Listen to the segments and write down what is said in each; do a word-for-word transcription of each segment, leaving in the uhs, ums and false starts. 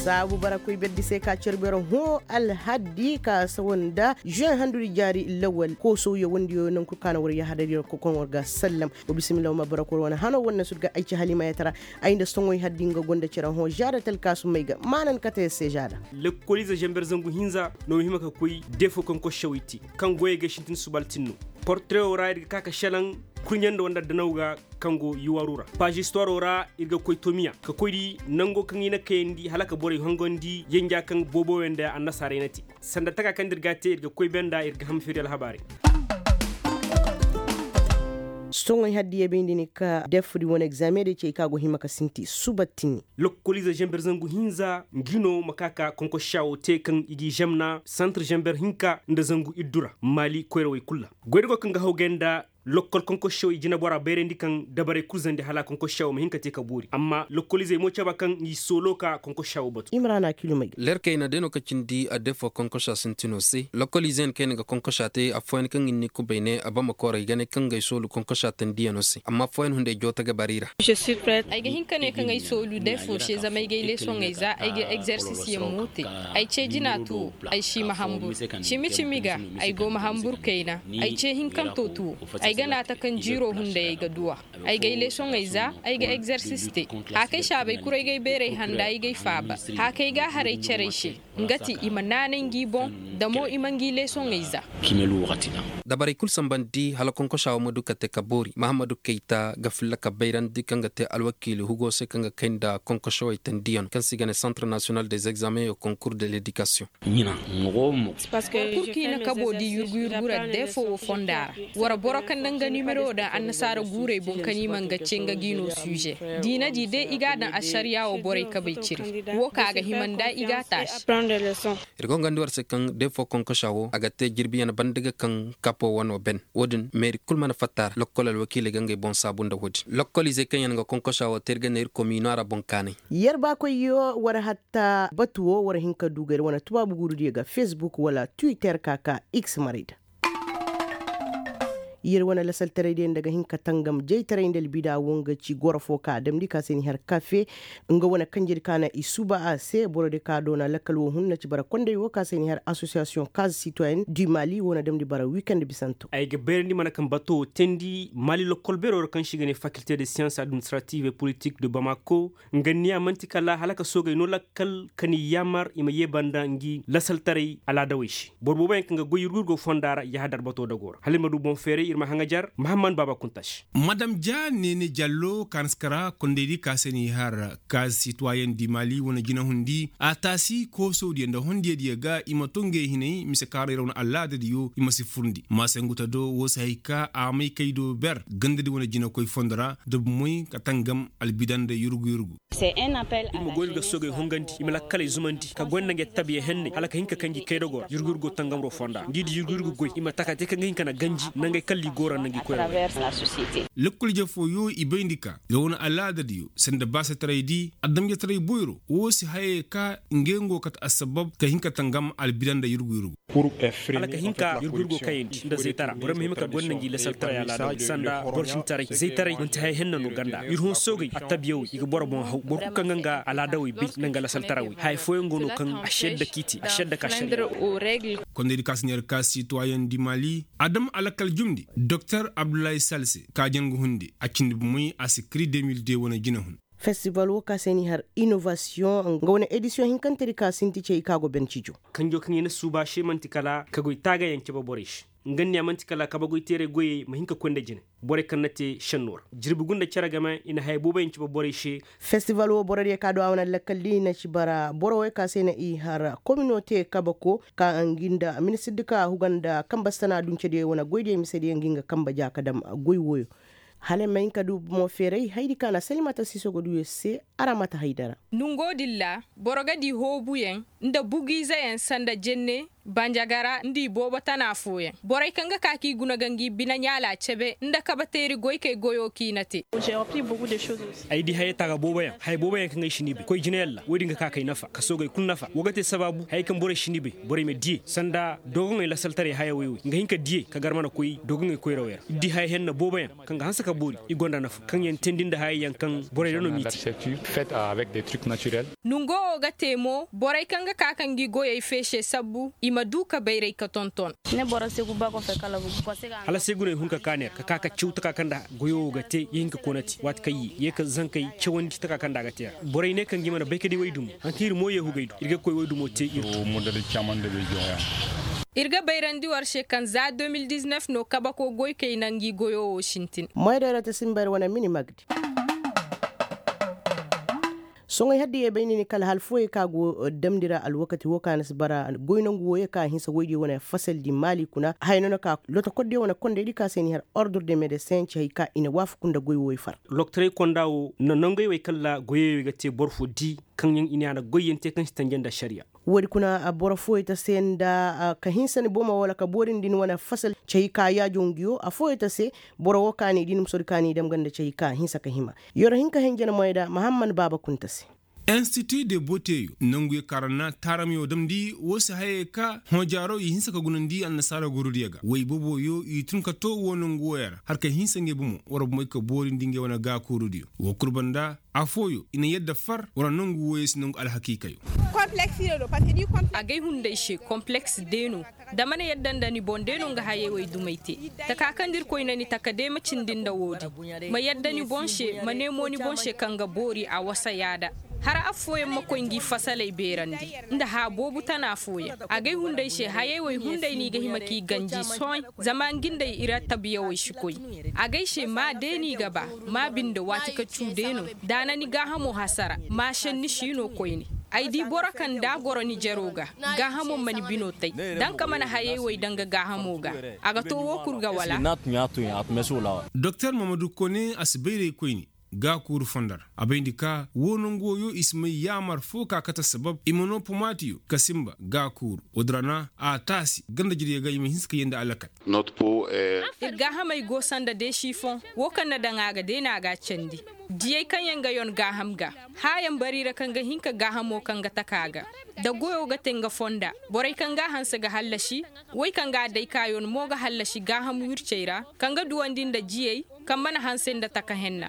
Saabu bara koy berdi se ka care bero hõ alhaddi ka sawa nda juin handuri jaari lawal kooso yawandiyo nangu kulu ka na war yahadar yaŋ kokoŋ war ga sallam. Wa bismillah ma bara koy wane hano wane sut ga ay ci halima ya tara. Ay nda soŋoy haddi nga gonda care hõ jaada talkaasu may ga maanan kate se jaada. Lekkoliize zamber zangu hinza no ma hima ka koy defo kaŋ košaway te kaŋ goyey ga sintin subaltin no. Portrewo ra iri ga ka ka selaŋ kurɲe nda wanda danaw ga kaŋ go yuwaru ra. Paazi istuwaro ra iri ga koy tomiya ka koy di nango kaŋ i na kayandi hala ka borey hongandi yanja kaŋ booboyaŋ nda annasaarey na te. Sanda taka kaŋ da iri ga a te iri ga koy banda iri ga ham feeri alhabaarey. Soŋey haddiya bayndi ni ka defudi wane egzaame day cey kaŋ a go hima ka sinti suba tini. Lokkoliize zamber zangu hinza ngi no ma ka ka konkosa wo te kaŋ i g'i zamna santir zamber hinka nda zangu iddu ra maali koyrawey kulu ra. Goyda go kaŋ ga hawgay nda lokkol konkosa wo i jinabora bayrandi kaŋ dabarey kulu zandi hala konkosa wo ma hin ka te ka boori amma lokkolizey mo caba kaŋ i soolo ka konkosa wo batu. Imrana kilumay. Leer kayna day no ka cindi a defo konkosa sintino se lokkolize yaŋ kaŋ i na ga konkosa te afooyaŋ kaŋ i na ni kubay ne a bama kooro i ga ne kaŋ ga ay soolu konkosa tandiyano se amma afooyaŋ hunday jooto ga bari ra. Ay ga hin ka ne kaŋ ay soolu defo se zama ay ga ay leesoŋey za ay ga egzersisyaŋ mo te. Ay ce jina tuwo ay si ma hambur. Cimi cimi ga ay go ma hambur kayna. Ay ce hinkanto tuwo. Ay ga naata kaŋ jiiro hunday ay ga duwa. Ay ga ay leesoŋey za ay ga egzersis te. Haakay saabay kuru ay ga ay beeray handa ay ga ay faaba. Haakay ga a haray carey se. Nga ti i ma naanay ngi boŋ. Da mo i ma ngi leesoŋey za. Dabarey kulu sambandi hala konkosa wo ma du ka te ka boori mahammadu kayta ga filla ka bayrandi kaŋ ga te alwakiili hugo se kaŋ ga kay nda konkosowey tandiyano kaŋ se i ga ne centre national des examens et concours de l'éducation. Boro kulu kaŋ i na kabo di yurgu yurgu ra deefo wo fonda ra. Wara boro kaŋ na nga nimero daŋ annasaara guurey boŋ kaŋ i ma nga ce nga g'i no suuze. Da i na di day i ga a daŋ asariya wo borey kabey cire. Wo kaŋ a ga hima nd'a i g'a taasi. Iri go ga hangandi war se kaŋ deefo konkosa wo a ga te jirbiyaŋ banda ga kaŋ kapo wano ben. Wo- din meeri kulu mana fatta ra lokkol alwakiiley ga ngey boŋ saabu nda wo- din lokkoliizey kaŋ yaŋ ga konkosa wo te iri ga ne iri komiino a ra boŋ kaanay. Yerba koyyo war hatta batu wo war hin ka du ga iri wane tubaabu guuru diyo ga facebook wala twitter ka ka x maray da. Yer wane lasaltaray diyo nda ga hin ka tangam jaytaray nda albida wo nga ci goro fo ka damndi ka se ni har kafe. Nga wane kanjedi ka na i suba a se boro diyo ka doona lakkal wo hun na ci bara konday wo ka se ni har association case citoyenne du mali wo na damndi bara weekend bisanto. Ay ga beerandi mana kaŋ bato wo teendi mali lokkol beero ra kaŋ se i ga ne faculté de science administrative et politique de bamako. Nga niya manti kala hala ka soogay no lakkal ka ni yaamar i ma ye banda ngi lasaltaray alaadawey se. Boro boobo yaŋ kaŋ ga goy yurguyurgo fonda ra yahadar bato dago ra hala i ma du boŋ feeray iri ma haŋajar mahamman baaba kunta se. Madam ja neene jallo kaanaskara kondaydi ka se ni har kaaz sitwayen di mali wane jinahundi a taasi koosowdiyo nda hondiyadiyo ga i ma to ngey hinay mise kaaray ra wane alaadadiyo i ma si furndi maasanguta do wo si hay ka a may kay do ber gandadi wane jinakoy fondo ra da bumoy ka tangam albida nda yurgu yurgu. Iri ma goy iri ga soogey hongandi i ma lakkaley zumandi ka goy nda ngey tabiya henney hala ka hin ka kanji kaydagora yurgu yurgo tangamro fonda ngi di yurgu yurgo goy i ma taka te kaŋ ga hin ka na ganji nangey kalli gora nda ngi koyra. Lakkol je fooyo i bayndi ka iri wane alaadadiyo sanda baasetaray di adamjetaray boyro wo si hayey ka ngey ngo kate assabab ka hin ka tangam albida nda yurgu yurgu. Hala ka hin ka yurgu yurgo kayandi nda zaytara borey ma hima ka gonda ngi lasaltaray alaada sanda borcintaray zaytaray manti haya henna no ganda iri hõ soogey attabiya wey i ga boro boŋ haw boro kulu kaŋ ga nga alaada wey bay nda nga lasaltara wey haya fooyaŋ go no kaŋ a sedda k'i te a sedda ka sedda. Kondaydi ka si ne iri ka sitoyen di mali adam alakal jumndi doktor abdullahi sal se ka jangu hunde a cindi bumey a si kiri deux mille deux wane jinahun. Festival wo ka se ni har innovation nga wane edisiyoŋ hinkantedi ka sinti cey ka go ben cijo. Kanjo kaŋ i na suuba se manti kala ka goy taagayaŋ cabe borey se. Nga niya manti kala kabagoy teeray goyey ma hin ka koy nda jine borey kaŋ na te senno ra jirbi gunda care game i na haya booboyaŋ cabe borey se. Festival wo borodiyo ka du a wane lakkal di na ci bara boro wey ka se na i har kominote kabako ka ngi nda ministir di ka huga nda kambastana duncediyo wane goydiyo misediyo ngi nga kamba ja ka dam goy woyo. Hala ay ma hin ka du bomo feeray haydi ka na salimata siiso ga du yer se. Araŋ ma ta haydara. Nungo din ra boro ga di hoobuyaŋ nda bugu ize yaŋ sanda jenne, banjagara nda i boobo tana fooyaŋ. Borey kaŋ ga ka k'i guna ga ngi bine ɲaala cebe nda kabateeri goykey goyo k'i na te. Ay di hayey taaga boobo yaŋ haya boobo yaŋ kaŋ ay si ni bay koy jine yalla wo- din ga ka k'ay nafa ka soogey kulu nafa wo ga te sabaabu hayey kaŋ borey si ni bay, borey ma diyey sanda doogoŋey lasaltaray haya woy woy nga hin ka diyey ka gar mana koy doogoŋey koyrawey ra. Iri di haya henna boobo yaŋ kaŋ ga hanse ka boori i gonda nafa kaŋ yaŋ teendi nda hayey yaŋ kaŋ borey ra no m'i te. Nongo wo ga te mo borey kaŋ ga ka ka ngi goyey feese sabbu i ma du ka bayray ka tonton. Hala seeguney hun ka ka neera ka ka ka caw taka kaŋ nda goyo wo ga te ya hin ka koona te waati kaŋ ye ye ka zankey cawandi taka kaŋ nda a ga te ra. Borey ne kaŋ ga i mana bay ka di waydumo hankan iri mo ye hugay do iri ga koy waydumo te iri. Iri ga bayrandi war se kaŋ za deux mille dix-neuf no kabako goykey na ngi goyo wo sintin. Moydero te simber wane mini magdi. Soŋay haddi ye bay ni ni kala hal fooyey kaŋ a go damndi ra alwakati wo kaŋ a na si bara goy nangu wooyey kaŋ a hinsa woy diyo wane fasaldi maali kuna haya no na ka lotokordiyo wane kondey di kaŋ a se ni har ordre de medesin ci hari kaŋ i na waafaku nda goy wooyey far. Loktorey konda wo na nangey wo ay kalla goyey wo ay ga te boro fo di kaŋ yaŋ i ne a na goy yaŋ te kaŋ si tanje nda ašariya. Wo- din kuna boro fooyey ta se nda ka hinsa ni bomo wala ka boori ni din wane fasal ci hari kaŋ a yaajo ngiyo afooyey ta se. Boro wo kaani din ma sori kaani dam ganda ci hari kaŋ a hinsa ka hima. Yoro hinka henje na moy da mahamman baaba kunta se. Institu de boteyo nangu ye karanna taaramiyo damndi wo se hayey ka hõ jaaro i hinsa ka gunandi annasaara gurudiyo ga woy boboyo i tun ka to wo nangu woya ra har ka hinsa ngey bomo wara bomey ka boorindi ngey wane gaakuurudiyo wo kulu banda afooyo i na yadda far wara nangu woyey si nangu alhakiikayo. Agay hunday se kompleks deeno da mana yadda nda ni boŋ day no nga hayey wo ay dumey te. Taka kaŋ da irkoy na ni taka day ma cindi nda wo- din ma yadda ni boŋ se ma ne mo ni boŋ se kaŋ ga boori a wasa yaada. Hara affooyaŋ ma koy ngi fasaley beerandi nda hã boobu tana fooyaŋ. Agay hunday se hayey wo ay hunday no i ga hima k'i ganji sohõ zama ngi nda i rattabiya wo ay si koy. Agay se ma day no i ga ba ma binde waati ka cu day no. Da a na ni gaahamo hasara ma senni si no koyne. Ay di boro kaŋ da a goro ni jaro ga gaahamo ma ni bino tay. Daŋ ka mana hayey wo ay daŋ ga gaahamo ga a ga to wo kulu ga wala. Doktor mamadu kone a si bayray koyne gaakuuru fonda ra a bayndi ka wo nangu woyo i si may yaamar fo ka kate sabab i ma no pomaatiyo ka simba gaakuuru wo- din ra na a taasi ganda jirey ga i ma hinse ka yee nda alakal. Ir gaahamey go sanda deesi fo wo kaŋ na daŋ a ga day no a ga a candi. Diyey kaŋ yaŋ ga yon gaaham ga haayaŋ bari ra kaŋ ga hin ka gaahamo kaŋ ga taka ga da goyo ga te nga fonda. Borey kaŋ ga a hanse ga hallasi woy kaŋ ga a day ka yon mo ga hallasi gaaham wircey ra kaŋ ga duwandi nda jiyey kaŋ mana hanse nda taka henna.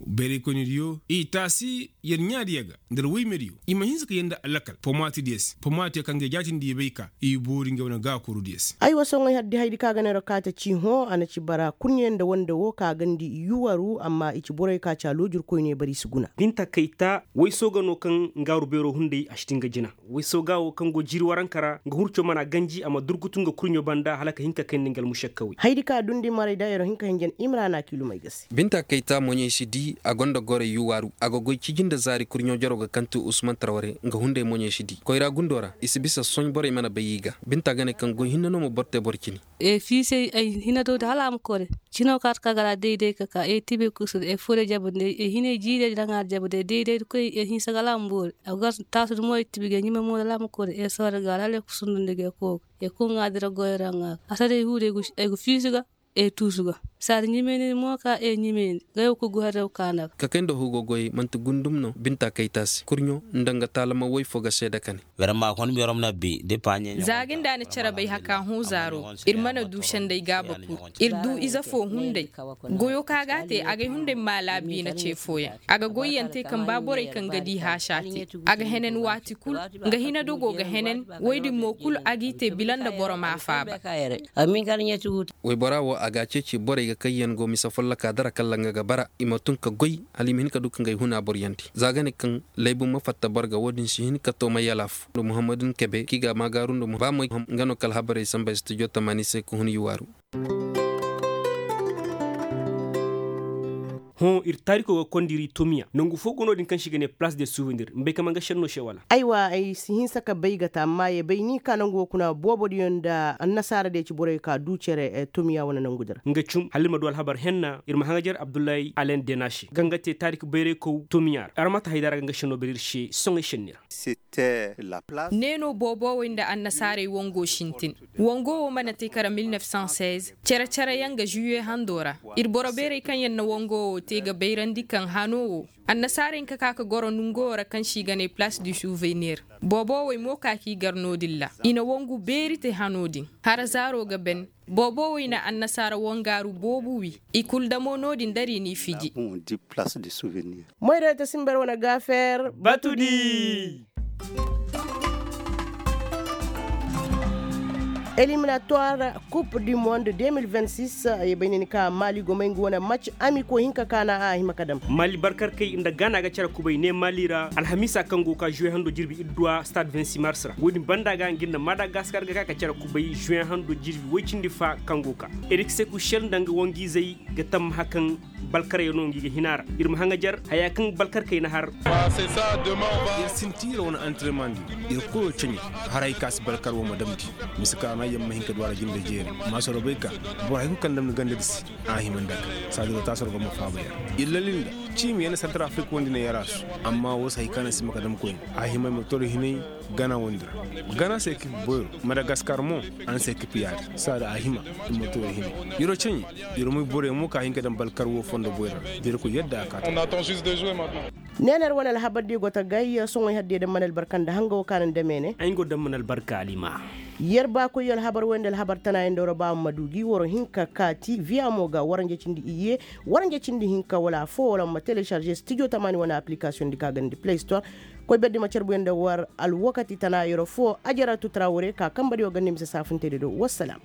Bayraykoyne diyo i taasi yar ɲaadiya ga nda ra woy me diyo i ma hinse ka yee nda alakal pomaati diya se pomaatiyo kaŋ ga i jaatindi i bay ka i boori ngey wane gaakuuru diya se. Ay wa soŋay hari di haydi kaŋ a ga neero kaate ci hõ a na ci bara kurɲe nda wande wo kaŋ a gandi yuwaru amma i ci borey kaŋ a ci a loojirkoyne bari si guna. Binta kayta wayso ga no kaŋ nga aru beero hunday a si ti nga jina. Wayso ga wo kaŋ go jiiri waranka ra nga hurco mana ganji a ma durgutu nga kurɲo banda hala ka hin ka kayndi nga almušakkawey. Haydi kaŋ a dundi maray daayero hin ka hinjan imrana kiilumey ga se. Binta kayta moɲey si di a gonda gorey yuwaru a ga goy ciji nda zaari kurɲo jaro ga kantu usman tarware nga hunday moɲey si di koyra gundo ra i si bisa sohõ borey mana bay i ga. Binta ga ne kaŋ goy hinne no ma boro te boro cine. E fiisey ay hina do da hala a ma kore. Cino kaata ka gara day day ka ka e tibe kusu e fure jabu day e hine jiire da ŋaari jabu day day day koy e hinsa gala a ma boori. A gar taasu da mo e tibe ga ɲime mo da hala a ma kore e soore ga hala e kusu nda ga e kooga e kuŋa dira goyo ra ŋa a sara e huure e ga fiisu ga e tuusu ga. Saari ɲimeyni mo ka e ɲimeyni ga yo kugu harre wo kaana ga. Ka kay nda hugo goyey manti gundum no binta kayta se kurɲo nda nga taalama woy fo ga seeda ka ne. Za ga nda a na care bay haka hõ zaaro. Iri mana du senday gaaba kulu. Iri du ize fo hunday. Goyo ka ga a te agay hunday ma laabiina ce fooyaŋ. A ga goyyaŋ te kaŋ ba borey kaŋ ga di haasa te. A ga henen waati kulu. Nga hina dogo ga henen. Woy din mo kulu a g'i te bila nda boro ma a faaba. Waybora wo a ga a ceeci borey ga kayyaŋ go mise folloka dara kala nga ga bara i ma tun ka goy hala i ma hin ka du ka ngey huna boryandi za ga ne kaŋ laybu ma fatta boro ga wo- din si hin ka to ma yala fo nda muhammadu nkebe kaŋ i ga a maagaaru nda ba mo nga no kala habarey samba studio tamaani se ka hun yuwaaru. Hõ iri taariko ga kondiri tomiya nangu fo go no- din kaŋ se i ga ne place de souvenir ni bay kaŋ man ga senno se wala? Aywa ay si hinsa ka bay ga ta amma ye bay ni ka nangu wo kuna boobo diyaŋ nda annasaara diya ci borey ka du cere tomiya wane nangu din ra. Nga cum hala iri ma du alhabar henna iri ma haŋajer abdullahi alen dena se ga nga te taariko bayraykow tomiya ra araŋ ma ta haydara ga nga senno bay iri se soŋay senni ra. Ne no boobowey nda annasaarey wango sintin. Wango wo mana te kala mil nef san seize. Care care yaŋ ga juye hando ra. Iri boro beerey kaŋ yaŋ na wango wo te ga bayrandi kaŋ hano wo annasaarey ka ka ga goro nango wo ra kaŋ se i ga ne place du souvenir. Boobowey mo ka ka i gar no- din ra i na wangu beeri te hano din. Hara zaaro ga ben. Boobowey na annasaara wangaaru boobo wi. I kulu damo no- din dara i n'i fiji. Moyray ta simber wane gaafeer. Batudi. Eliminatoire coupe du monde deux mille vingt-six. Ye bay ne ni ka maali gomay nga wane match ami ko hinka kaana a hima ka dam. Maali barkarkey nda gaana ga care kubay ne maali ra alhamiisa kaŋ go ga ka juwe hando jirbi idduwa stade vingt-six mars ra wo- din banda ga nga nda madagaskar ga ka ga care kubay juwe hando jirbi woy cindi fa kaŋ go ga ka. Erik sekushel nda nga wangu izey ga tammaha kaŋ balkaryaŋo ngi ga hina ra. Iri ma haŋajer haya kaŋ balkarkey na har. Iri sinti iri wane antirenman di iri koyo caɲe. Haray ka si balkar wo ma damndi. Mise kaana yaŋ ma hin ka du a ra jinde jeeri. Maasoro bay ka boro hay kulu kaŋ damndi ganda di se a hima nda ka saadiro taasoro ga ma faaba yaŋ. Iri lalli nda ciimi yaŋ na santar afirika wandi ne yarasu. Amma wo si hay kaana si ma ka dam koyne a hima ay ma toro hinay. Gana wandi ra gana se kipi boyro madagaskar mo. Araŋ se kipi yaadi saada a hima. Iri ma to iri hima. Iri wo caɲi iri moy borey mo ka hin ka daŋ balkar wo fondo boyro ra. Da iri koy yadda a ka ta. Neener wane alhabar di go ta gay soŋoy hadde da mana albarka nda hanga wo kaana nda meene. Ay nga wo daŋ mana albarka alima. Yer ba koy alhabar wo nda alhabar tana yaŋ da wara ba ma du gi waro hinka kaati viya mo ga waranja cindi iyye. Waranja cindi hinka wala afo wala ma telecharge studio tamaani wane application di ka ganda play store. Koy berdi ma carbu yaŋ da war alwakati tana yero fo ajaratu trawore ka kamba di wo ganda mise saafuntey da do. Wassalam.